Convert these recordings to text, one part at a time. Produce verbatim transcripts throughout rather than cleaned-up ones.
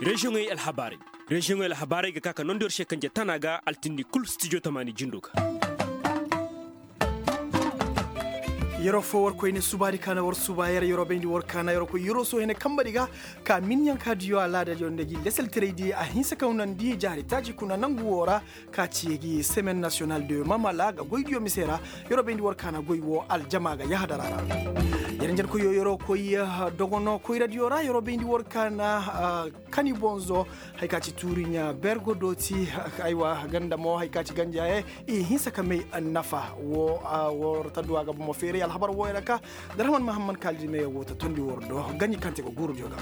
Reziyoŋey alhabaarey. Reziyoŋey alhabaarey ga ka ka nondi war se kanje tana ga altindi kul stijo tamaani jindo ga. Yeroo foo war koyne subaadi kaana war suba yer yeroo bayndi war kaana yeroo koy yeroo soo hene kambadi ga ka minyankaadiyo alaadadiyo nda gi leselteraydi a hinsa kaw nandi jaari taaci kuna nangu woo ra. Ka ci gi semen nasiyonal de mamala ga goydiyo mise ra. Yeroo bayndi war kaana goy woo aljama ga yahadara ra. Yer njen koyyo yeroo koy dogonoo koyradiyo ra yeroo bayndi war kaana. Kani bonzo. Hay ka ci tuuriɲa bergo dooti. Aywa ganda mo hay ka ci ganjaaye i hinsa ka may nafa. Woo war ta duwa ga bomo feeray alhabar wooyo ra ka. Darhaman mahamman kaalidi meyo woo ta tondi war do. Ganji kaŋ te ga guurudiyo ga.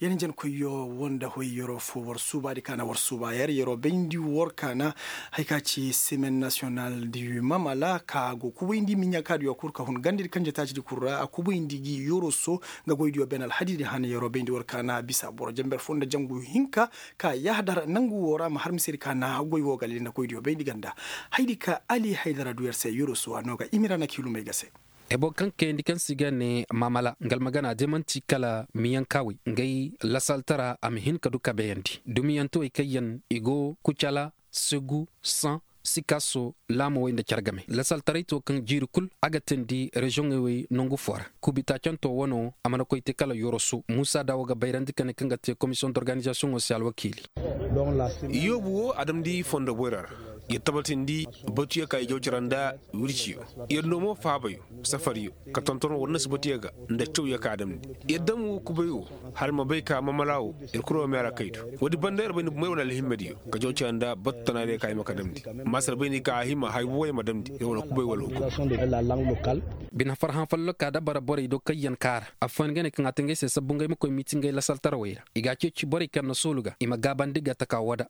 Yer njen koyyo woo nda hoy yeroo foo war suubaadi kaana war suuba yer yeroo bayndi war kaana. Hay ka ci semen nasiyonal di mamala ka go kubayndi miɲakaadiyo kul ka hun gandadi kanje taacidi kul ra a kubayndi gi yoroso. Nga goydiyo ben alhadidi han yeroo bayndi war kaana bisa boro jenber foo nda jangu hinka. Ka yahadar nangu woo ra ma har misedi kaana goy woo ga lili nda koydiyo bayndi ganda. Haydi ka ali haydara du yer se yoroso a noo ga imira na kiilumey ga se. Ebo kaŋ kayandi kaŋ se i ga ne mamala nga almagana de man'ti kala miyankaawey ngay lasaltara a ma hin ka du kabeyandi dumiyantewey kaŋ yaŋ i go kucala segu saŋ sikaso laamawey nda care game lasaltaray to kaŋ jiiri kul a ga teendi reziyoŋey wey nangu foo ra. Kubi taacanto wano a mana koy te kala yoroso muusa daawo ga bayrandi ka ne kaŋ ga te komisiyoŋ d'organizasiyoŋo se alwakiili. Yoobu wo a damndi fondo boyra ra. Yer tabatindi batuyo ka i jaw cara nda wirciyo. Yer noo mo faabayo safariyo ka tonton war nasibatiyo ga nda cawyo ka a damndi. Yer dam wo kubay wo hala ma bay ka mamala wo. Yer kul wo meera kay do. Woodi banda yer bay ni bumey wane alhimmediyo ka jaw cara nda batu tanaadiyo ka i ma ka damndi. Maasar bay ni ka a hima hay wooyo ma damndi yer wane kubay wala hukum. Bine farhã folloka dabara borey do kaŋ yaŋ kaara affooyaŋ ga ne kaŋ a te ngey se sabbu ngey ma koy miiti ngey lasaltarawey ra. I ga a ceeci borey kaŋ na soolu ga i ma gaabandi ga taka woo da.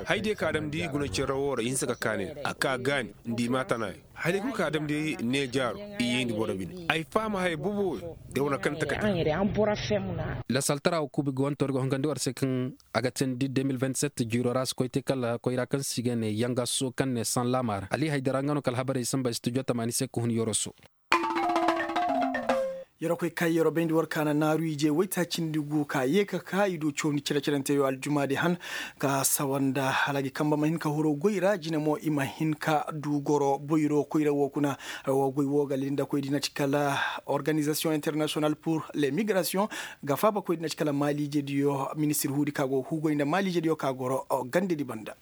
Haydiyo ka a damndi guna cere woo ra i hinsa ka kaani a ka gaani nda i maa tanayo. Haydiyo kul ka a damndi ne jaaro i yeendi boro bine. Ay faham haya bobo woo. Yer wane kaŋ takati. Lasaltara woo kuubi ga wantoori ga hongandi war se kaŋ a ga teendi deux mille vingt-sept jiiroo ra a si koy te kala koyra kaŋ se i ga ne yangaso kaŋ ne sanlaama ra ali haydara nga no ka alhabarey samba studio tamaani se ka hun yoroso. Yeroo koy kay yeroo bayndi war kaana naaru ije waytaacindi gu ka yee ka ka i du cawndi cere-cerenteyo aljumaadi han. Ka sawa nda hala gi kamba ma hin ka horo goy ra jine mo i ma hin ka du goro boyro koyra woo kuna. Woo goy woo ga linda koy di na ci kala organizasiyoŋ internasiyonal pur le migrasiyoŋ ga faaba koy di na ci kala maaliijediyo ministir huudi ka go hugoy nda maaliijediyo ka goro gandedi banda.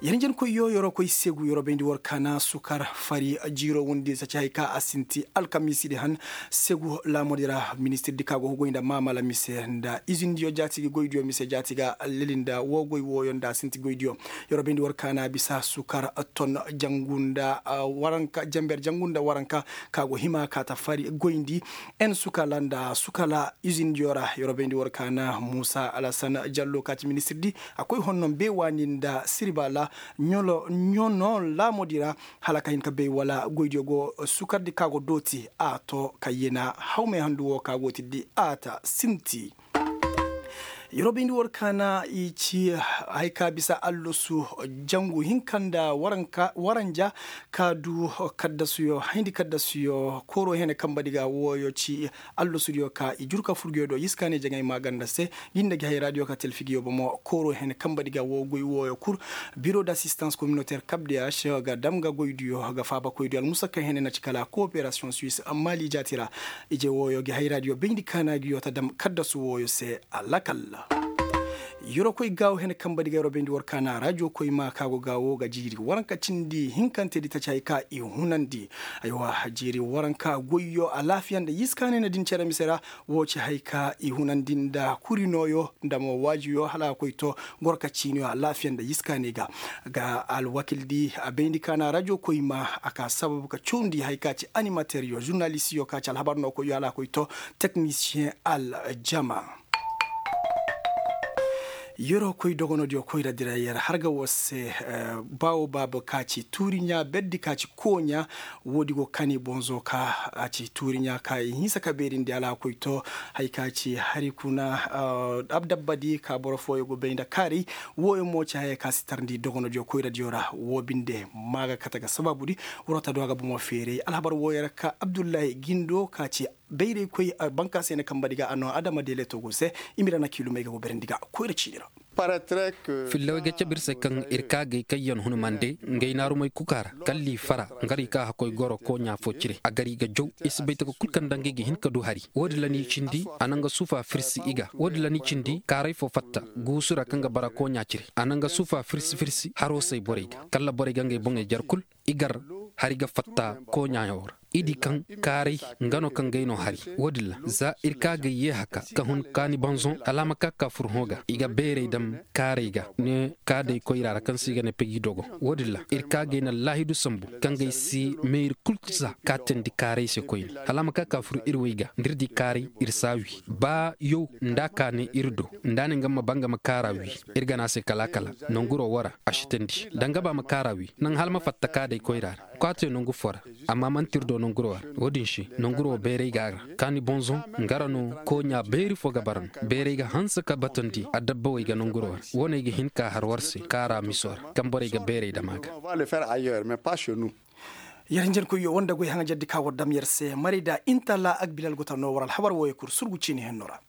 Yer njen koyyo yeroo koy segu yeroo bayndi war kaana sukar fari jiiroo wondi saci hay ka a sinti alkamiisidi han. Segu laamodi ra ministirdi ka go hugoy nda maamala mise nda izindiyo jaati gi goydiyo mise jaati ga leli nda woo goy wooyo nda a sinti goydiyo. Yeroo bayndi war kaana bisa sukar ton jangu nda waranka jenber jangu nda waranka ka go hima ka ta fari goyndi. En sukala nda sukala izindiyo ra yeroo bayndi war kaana muusa alasan jallo ka ci ministirdi a koy honno beewaani nda sirbaala ɲono laamodi ra. Hala ka hin ka bay wala goydiyo go sukardi ka go dooti a to ka yena hawmey handu wo ka go tiddi a ta sinti. Yeroo bayndi war kaana i ci hay ka bisa allasu jangu hinka nda waranja ka du kaddasuyo hayndi kaddasuyo kooro hene kambadi ga wooyo ci. Allasudiyo ka i jur ka furguyo do yiskaaney jaŋay maaganda se. Gi nda gi hayraadiyo ka telfigiyo bomo kooro hene kambadi ga woo goy wooyo kul. Biro d'asistans kominotayr kabdiyaš ga dam ga goydiyo ga faabakoydiyo almusakka hene na ci kala kooperasiyoŋ suis maali jaati ra. Ije wooyo gi hayraadiyo bayndi kaana giyo ta dam kaddasu wooyo se. Alakal. Yeroo koy gaawo hene kambadi ga yeroo bayndi war kaana rajo koy ma ka go gaawo ga jiiri waranka cindi hinkantedi taci hay ka i hunandi. Aywa jiiri waranka goyyo alaafiya nda yiskaaney na din cere mise ra. Woo ci hay ka i hunandi nda kuri nooyo nda mo waajiyo hala a koy to. Gorka ciiniyo alaafiya nda yiskaaney ga ga alwakildi a bayndi kaana rajo koy ma a ka sababu ka cawndi hay ka ci animateryo žurnalistiyo ka ci alhabar no koyyo hala a koy to. Teknisiyeŋ aljama. Yeroo koy dogonodiyo koyra dira yer harga woo se. Baawo baaba ka ci tuuriɲa berdi ka ci kooɲa. Woodi go kani bonzo ka a ci tuuriɲa ka i hinsa ka beerindi alaakoy to. Hay ka ci hari kuna abdabbadi ka boro fooyo go bay nda kaaray. Wooyo mo ci haya ka si tarndi dogonodiyo koyradiyo ra woo binde. Ma ga kate ga sabaabudi. Waroo ta du a ga bomo feeray alhabar wooyo ra ka abdullahi gindo ka ci. Bayraykoy banka se na kamba di ga a noo adama deeleto go se. Imira na kiilumey ga go berandi ga koyra ciini ra. Fillawey ga cabe ir se kaŋ ir kaagay kaŋ yaŋ hun mande ngey naarumey kukaa ra kalli fara. Nga ra i ka hakkoy goro kooɲa fo cire a gar i ga jaw. I si bay taka kul kaŋ nda ngey ga hin ka du hari. Wo-din ra ni cindi a na nga suufa firsi i ga wo-din ra ni cindi kaaray fo fatta guusu ra kaŋ ga bara kooɲa cire a na nga suufa firsi firsi haro say borey ga kalla borey ga ngey boŋey jar kul. I gar hari ga fatta kooɲayaŋo ra. I di kaŋ kaaray nga no kaŋ gay no hari. Wo-din ra za ir ka gay yee haka ka hun kaani bonzoŋ hala a ma ka ka fur hõ ga i ga beeray dam kaaray ga ne ka day koyra ra kaŋ se i ga ne peji dogo. Wo-din ra ir ka gay na laahidu sambu kaŋ gay si meeri kul za ka teendi kaaray se koyne hala a ma ka ka fur ir way ga nda ir di kaaray ir si a wi ba yaw nda a ka ne ir do nda a ne nga ma ba nga ma kaara wi. Ir ga ne a se kala kala nanguro wo ra a si teendi da nga ba ma kaara wi naŋ hala ma fatta ka day koyra ra. Kwaate nongu fo ra amma man'ti ir do nonguro ra. Wo-din se nonguro wo bayray ga a ra kaani bonzoŋ nga ra no kooɲa bayri fo ga bara no bayray ga hanse ka batandi adabbawey ga nonguro ra. Wo no ay ga hin ka har war se kaara miso ra kaŋ borey ga bayray dam a ga. Yer hinjankoyyo wanda goy haŋajardi ka war dam yer se maray da intala agbilal go ta no war alhabar wooyo kul surgu ciini henno ra.